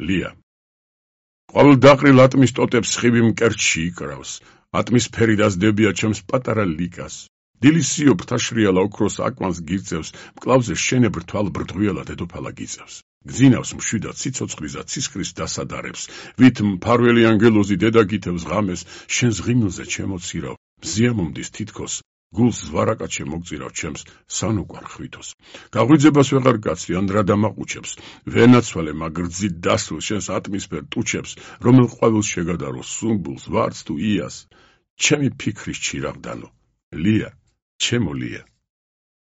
ლია. ყოველ დაყრილ ატმის ტოტებს სხივი მკერდში იკრავს. ატმისფერი დასდებია ჩემს პატარა ლიკას. დილის სიო ფრთაშრიალა ოქროს აკვანს გირწევს, მკლავზე შენებრ თვალ ბრდღვიალა დედოფალა გიწევს. გძინავს მშვიდად ციცოცხლისა ცისკრის დასადარებს, ვით მფარველი ანგელოზი დედა გითევს ღამეს, შენ ზღიმილზე ჩემოცირավ, მზიამომდის თითქოს, გულს ზვარაკაჩე მოგწირავ ჩემს სანუკვარ ხვითოს. გაღვიძებას ვეღარ გაცვი, ან რა დამაყუჩებს, ვენაცვალე მაგრძით დასულ შენს ატმისფერ ტუჩებს, რომელ ყვავილს შეგადარო სუმბულს, ვარდს თუ იას, ჩემი ფიქრის ჩირაღდანო, ლია, ჩემო ლია.